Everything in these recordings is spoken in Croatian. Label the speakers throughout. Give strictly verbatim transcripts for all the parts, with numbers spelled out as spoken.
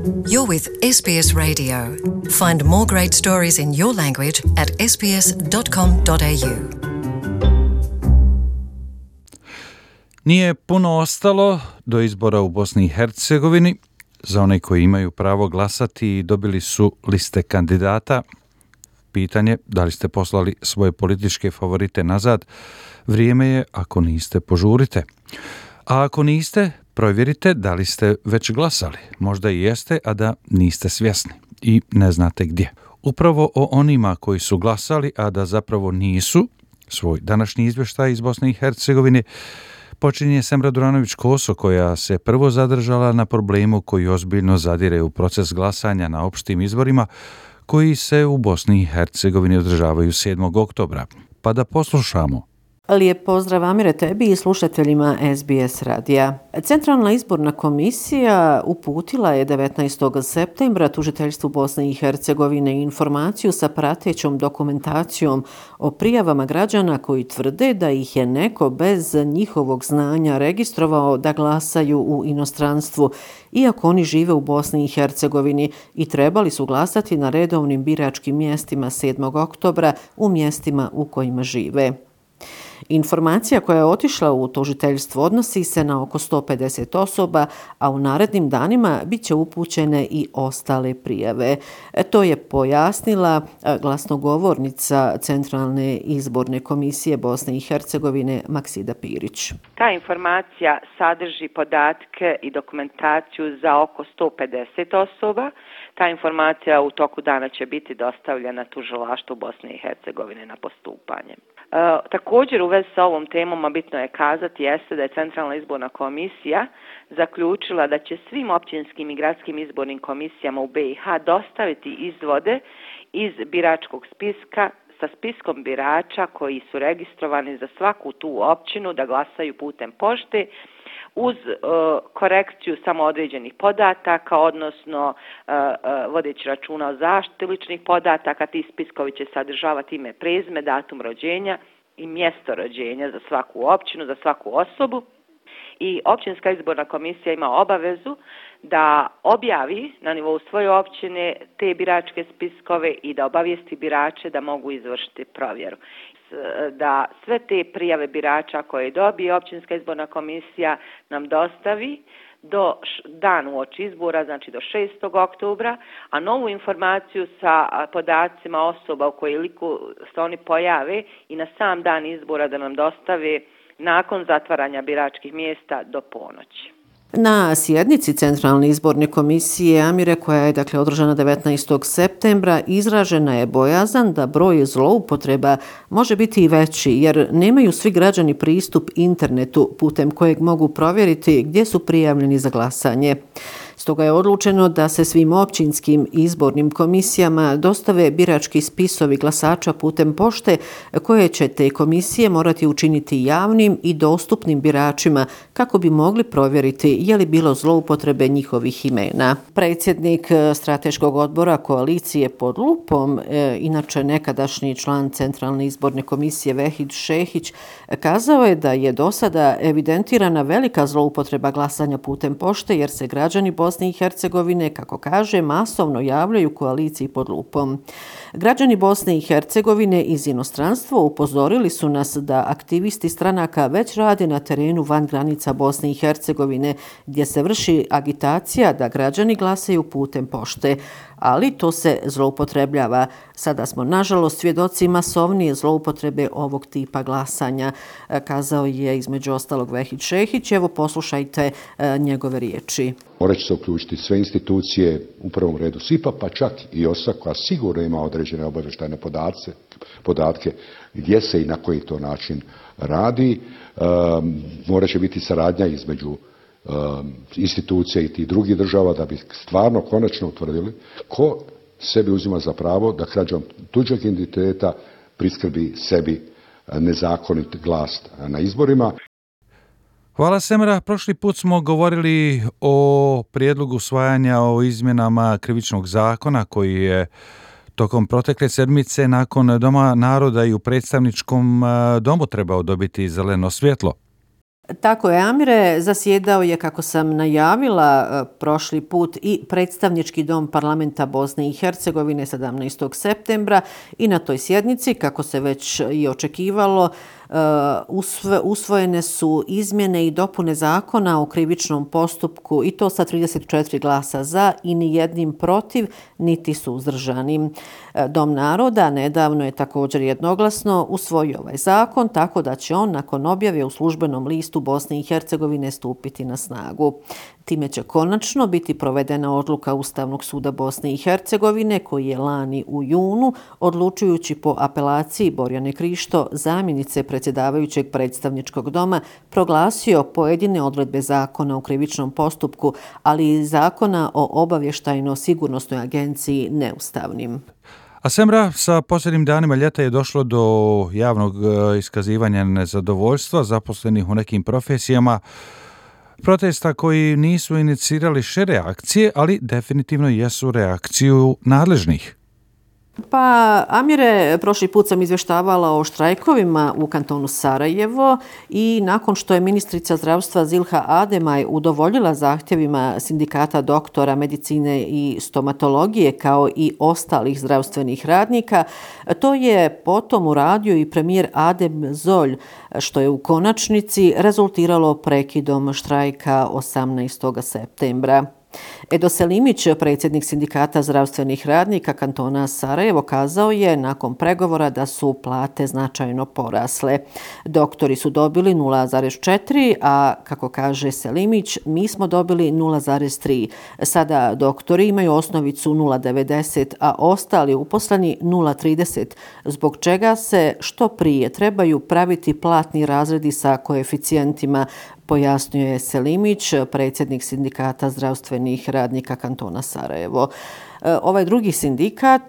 Speaker 1: You're with S B S Radio. Find more great stories in your language at s b s dot com dot a u.
Speaker 2: Nije puno ostalo do izbora u Bosni i Hercegovini. Za one koji imaju pravo glasati dobili su liste kandidata. Pitanje da li ste poslali svoje političke favorite nazad, vrijeme je, ako niste, požurite. A ako niste, provjerite da li ste već glasali. Možda i jeste, a da niste svjesni i ne znate gdje. Upravo o onima koji su glasali, a da zapravo nisu, svoj današnji izvještaj iz Bosne i Hercegovine počinje Semra Duranović-Koso, koja se prvo zadržala na problemu koji ozbiljno zadire u proces glasanja na opštim izborima koji se u Bosni i Hercegovini održavaju sedmog oktobra. Pa da poslušamo.
Speaker 3: Lijep pozdrav, Amire, tebi i slušateljima S B S radija. Centralna izborna komisija uputila je devetnaestog septembra tužiteljstvu Bosne i Hercegovine informaciju sa pratećom dokumentacijom o prijavama građana koji tvrde da ih je neko bez njihovog znanja registrovao da glasaju u inostranstvu, iako oni žive u Bosni i Hercegovini i trebali su glasati na redovnim biračkim mjestima sedmog oktobra u mjestima u kojima žive. Informacija koja je otišla u tužiteljstvo odnosi se na oko sto pedeset osoba, a u narednim danima bit će upućene i ostale prijave. To je pojasnila glasnogovornica Centralne izborne komisije Bosne i Hercegovine Maksida Pirić.
Speaker 4: Ta informacija sadrži podatke i dokumentaciju za oko sto pedeset osoba. Ta informacija u toku dana će biti dostavljena tužilaštvu Bosne i Hercegovine na postupanje. E, također u vezi sa ovom temom, a bitno je kazati, jeste da je Centralna izborna komisija zaključila da će svim općinskim i gradskim izbornim komisijama u B i H dostaviti izvode iz biračkog spiska sa spiskom birača koji su registrovani za svaku tu općinu da glasaju putem pošte, uz uh, korekciju samo određenih podataka, odnosno uh, uh, vodeći računa o zaštiti ličnih podataka. Ti spiskovi će sadržavati ime, prezime, datum rođenja i mjesto rođenja za svaku općinu, za svaku osobu. I općinska izborna komisija ima obavezu da objavi na nivou svoje općine te biračke spiskove i da obavijesti birače da mogu izvršiti provjeru. Da sve te prijave birača koje dobije općinska izborna komisija nam dostavi do dan uoči izbora, znači do šestog oktobra, a novu informaciju sa podacima osoba u kojoj liku se oni pojave i na sam dan izbora da nam dostave nakon zatvaranja biračkih mjesta do ponoći.
Speaker 3: Na sjednici Centralne izborne komisije, Amire, koja je dakle održana devetnaestog septembra, izražena je bojazan da broj zloupotreba može biti i veći, jer nemaju svi građani pristup internetu putem kojeg mogu provjeriti gdje su prijavljeni za glasanje. Stoga je odlučeno da se svim općinskim izbornim komisijama dostave birački spisovi glasača putem pošte, koje će te komisije morati učiniti javnim i dostupnim biračima kako bi mogli provjeriti je li bilo zloupotrebe njihovih imena. Predsjednik strateškog odbora koalicije pod lupom, e, inače nekadašnji član Centralne izborne komisije Vehid Šehić, kazao je da je do sada evidentirana velika zloupotreba glasanja putem pošte, jer se građani Bosne i Hercegovine, kako kaže, masovno javljaju koaliciji pod lupom. Građani Bosne i Hercegovine iz inostranstva upozorili su nas da aktivisti stranaka već rade na terenu van granica Bosne i Hercegovine, gdje se vrši agitacija da građani glasaju putem pošte, ali to se zloupotrebljava. Sada smo, nažalost, svjedoci masovnije zloupotrebe ovog tipa glasanja, kazao je između ostalog Vehid Šehić. Evo, poslušajte njegove riječi.
Speaker 5: Morat će se uključiti sve institucije, u prvom redu S I P A, pa čak i O S A, koja sigurno ima određene obavještajne podatke, podatke gdje se i na koji to način radi. Um, morat će biti saradnja između um, institucija i tih drugih država da bi stvarno konačno utvrdili ko sebi uzima za pravo da krađom tuđeg identiteta priskrbi sebi nezakonit glas na izborima.
Speaker 2: Hvala, Semra. Prošli put smo govorili o prijedlogu usvajanja o izmjenama krivičnog zakona koji je tokom protekle sedmice nakon Doma naroda i u predstavničkom domu trebao dobiti zeleno svjetlo.
Speaker 3: Tako je, Amire, zasjedao je, kako sam najavila prošli put, i predstavnički dom parlamenta Bosne i Hercegovine sedamnaestog septembra i na toj sjednici, kako se već i očekivalo, usvojene su izmjene i dopune zakona o krivičnom postupku i to sa trideset četiri glasa za i ni jednim protiv, niti suzdržanim. Dom naroda nedavno je također jednoglasno usvojio ovaj zakon, tako da će on nakon objave u službenom listu Bosne i Hercegovine stupiti na snagu. Time će konačno biti provedena odluka Ustavnog suda Bosne i Hercegovine koji je lani u junu, odlučujući po apelaciji Borjane Krišto, zamjenice predsjedavajućeg predstavničkog doma, proglasio pojedine odredbe zakona o krivičnom postupku, ali i zakona o obavještajno-sigurnosnoj agenciji neustavnim.
Speaker 2: A Semra, sa posljednjim danima ljeta je došlo do javnog iskazivanja nezadovoljstva zaposlenih u nekim profesijama, protesta koji nisu inicirali šire akcije, ali definitivno jesu reakciju nadležnih.
Speaker 3: Pa, Amire, prošli put sam izvještavala o štrajkovima u kantonu Sarajevo i nakon što je ministrica zdravstva Zilha Ademaj udovoljila zahtjevima sindikata doktora medicine i stomatologije kao i ostalih zdravstvenih radnika, to je potom uradio i premijer Adem Zolj, što je u konačnici rezultiralo prekidom štrajka osamnaestog septembra. Edo Selimić, predsjednik sindikata zdravstvenih radnika kantona Sarajevo, kazao je nakon pregovora da su plate značajno porasle. Doktori su dobili nula zarez četiri, a kako kaže Selimić, mi smo dobili nula zarez tri. Sada doktori imaju osnovicu nula zarez devedeset, a ostali uposleni nula zarez trideset, zbog čega se što prije trebaju praviti platni razredi sa koeficijentima, pojasnio je Selimić, predsjednik sindikata zdravstvenih radnika kantona Sarajevo. Ovaj drugi sindikat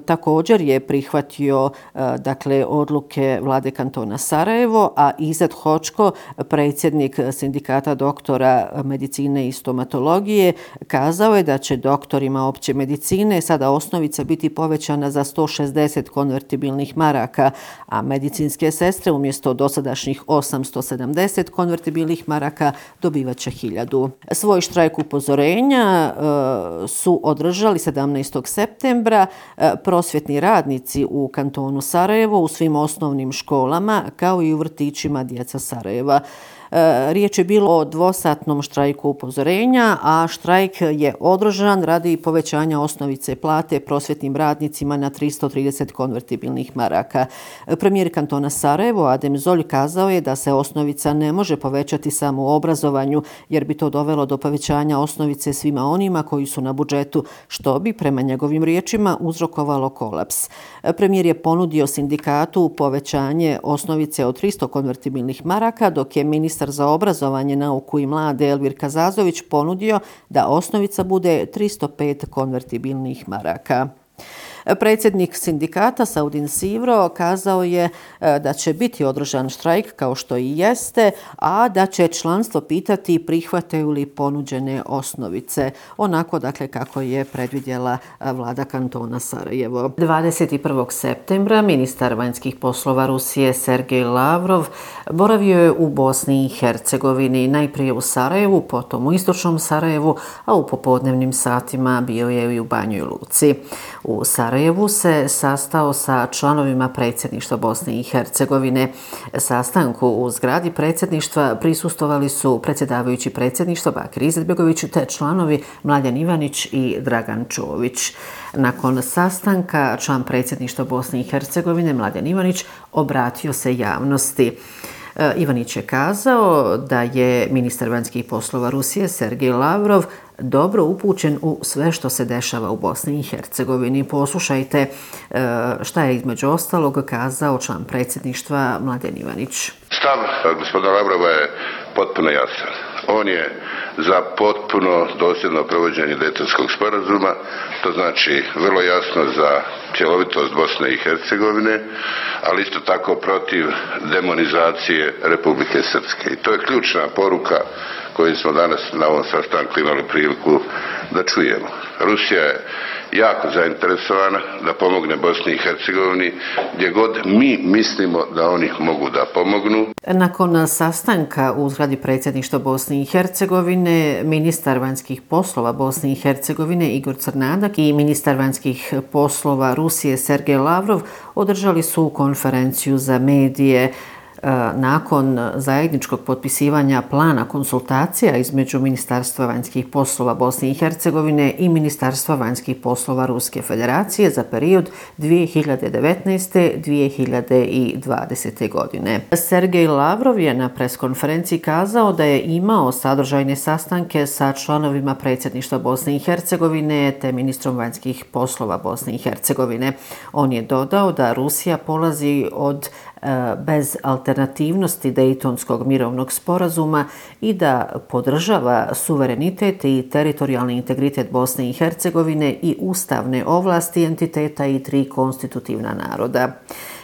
Speaker 3: također je prihvatio dakle odluke vlade kantona Sarajevo, a Izet Hočko, predsjednik sindikata doktora medicine i stomatologije, kazao je da će doktorima opće medicine sada osnovica biti povećana za sto šezdeset konvertibilnih maraka, a medicinske sestre umjesto dosadašnjih osamsto sedamdeset konvertibilnih maraka dobivaće hiljadu. Svoj štrajk upozorenja su održali Održali sedamnaestog septembra prosvjetni radnici u kantonu Sarajevo u svim osnovnim školama kao i u vrtićima djeca Sarajeva. Riječ je bilo o dvosatnom štrajku upozorenja, a štrajk je održan radi povećanja osnovice plate prosvjetnim radnicima na tristo trideset konvertibilnih maraka. Premijer kantona Sarajevo Adem Zolj kazao je da se osnovica ne može povećati samo u obrazovanju, jer bi to dovelo do povećanja osnovice svima onima koji su na budžetu, što bi prema njegovim riječima uzrokovalo kolaps. Premijer je ponudio sindikatu povećanje osnovice od tristo konvertibilnih maraka, dok je ministar za obrazovanje, nauku i mlade Elvir Kazazović ponudio da osnovica bude tristo pet konvertibilnih maraka. Predsjednik sindikata Saudin Sivro kazao je da će biti održan štrajk kao što i jeste, a da će članstvo pitati prihvataju li ponuđene osnovice, onako dakle kako je predvidjela vlada kantona Sarajevo. dvadeset prvog septembra ministar vanjskih poslova Rusije Sergej Lavrov boravio je u Bosni i Hercegovini, najprije u Sarajevu, potom u istočnom Sarajevu, a u popodnevnim satima bio je i u Banjoj Luci. U Sarajevu se sastao sa članovima predsjedništva Bosne i Hercegovine. Sastanku u zgradi predsjedništva prisustvovali su predsjedavajući predsjedništva Bakir Izetbegović te članovi Mladen Ivanić i Dragan Čović. Nakon sastanka član predsjedništva Bosne i Hercegovine Mladen Ivanić obratio se javnosti. Ivanić je kazao da je ministar vanjskih poslova Rusije Sergej Lavrov dobro upućen u sve što se dešava u Bosni i Hercegovini. Poslušajte šta je između ostalog kazao član predsjedništva Mladen Ivanić.
Speaker 6: Stav gospodina Lavrova je potpuno jasan. On je za potpuno dosljedno provođenje Dejtonskog sporazuma, to znači vrlo jasno za cjelovitost Bosne i Hercegovine, ali isto tako protiv demonizacije Republike Srpske. I to je ključna poruka koje smo danas na ovom sastanku imali priliku da čujemo. Rusija je jako zainteresovana da pomogne Bosni i Hercegovini gdje god mi mislimo da oni mogu da pomognu.
Speaker 3: Nakon sastanka u zgradi predsjedništva Bosne i Hercegovine, ministar vanjskih poslova Bosne i Hercegovine Igor Crnadak i ministar vanjskih poslova Rusije Sergej Lavrov održali su konferenciju za medije nakon zajedničkog potpisivanja plana konsultacija između Ministarstva vanjskih poslova Bosne i Hercegovine i Ministarstva vanjskih poslova Ruske federacije za period dvije hiljade devetnaeste do dvije hiljade dvadesete. godine. Sergej Lavrov je na preskonferenciji kazao da je imao sadržajne sastanke sa članovima predsjedništva Bosne i Hercegovine te ministrom vanjskih poslova Bosne i Hercegovine. On je dodao da Rusija polazi od bez alternativnosti Dejtonskog mirovnog sporazuma i da podržava suverenitet i teritorijalni integritet Bosne i Hercegovine i ustavne ovlasti entiteta i tri konstitutivna naroda.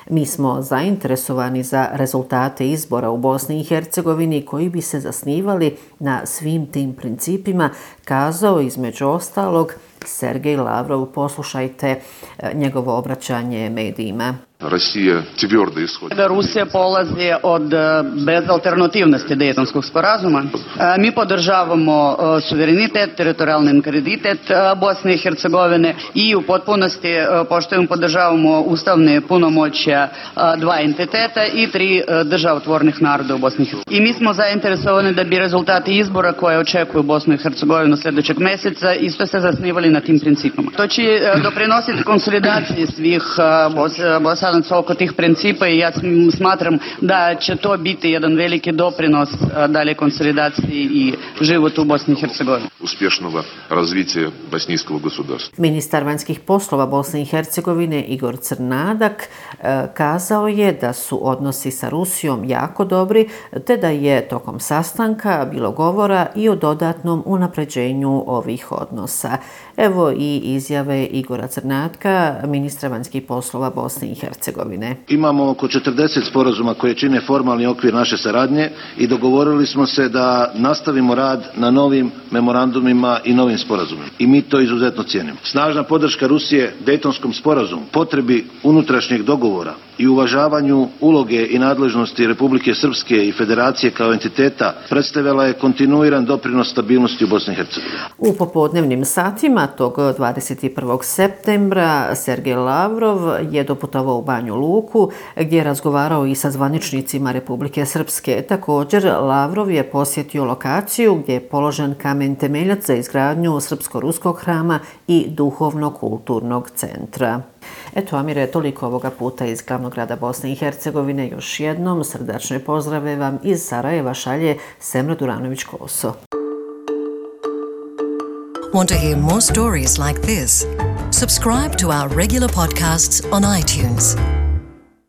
Speaker 3: Mi smo zainteresovani za rezultate izbora u Bosni i Hercegovini koji bi se zasnivali na svim tim principima, kazao između ostalog Sergej Lavrov. Poslušajte njegovo obraćanje medijima.
Speaker 7: Rusija tvrdo ishodi.
Speaker 8: Da Rusija polazi od bezalternativnosti Dejtonskog sporazuma. Mi podržavamo suverenitet, teritorijalni integritet Bosne i Hercegovine i u potpunosti poštujemo, podržavamo ustavne punomoćja dva entiteta i tri državotvornih naroda u Bosni i Hercegovini. I mi smo zainteresovani da bi rezultati izbora koje očekuju Bosnu i Hercegovinu sljedećeg mjeseca isto se zasnivali na tim principima. To će doprinositi konsolidaciji svih Bosanaca oko tih principa i ja smatram da će to biti jedan veliki doprinos dalje konsolidaciji i životu u Bosni i Hercegovini.
Speaker 7: Uspješnog razvića bošnijskog gospodarstva.
Speaker 3: Ministar vanjskih poslova Bosne i Hercegovine Igor Crnadak kazao je da su odnosi sa Rusijom jako dobri, te da je tokom sastanka bilo govora i o dodatnom unapređenju ovih odnosa. Evo i izjave Igora Crnadka, ministra vanjskih poslova Bosne i Hercegovine.
Speaker 9: Imamo oko četrdeset sporazuma koje čine formalni okvir naše saradnje i dogovorili smo se da nastavimo rad na novim memorandumima i novim sporazumima. I mi to izuzetno cijenimo. Snažna podrška Rusije Dejtonskom sporazumu, potrebi unutrašnjeg dogovora i uvažavanju uloge i nadležnosti Republike Srpske i Federacije kao entiteta predstavila je kontinuiran doprinos stabilnosti u Bosni i Hercegovini.
Speaker 3: U popodnevnim satima tog dvadeset prvog septembra Sergej Lavrov je doputovao u Banju Luku gdje je razgovarao i sa zvaničnicima Republike Srpske. Također Lavrov je posjetio lokaciju gdje je položen kamen temeljac za izgradnju Srpsko-ruskog hrama i duhovno-kulturnog centra. Eto, Amire, toliko ovoga puta iz glavnog grada Bosne i Hercegovine. Još jednom srdačne pozdrave vam iz Sarajeva šalje Semra Duranović-Koso.
Speaker 1: Want to hear more stories like this? Subscribe to our regular podcasts on iTunes.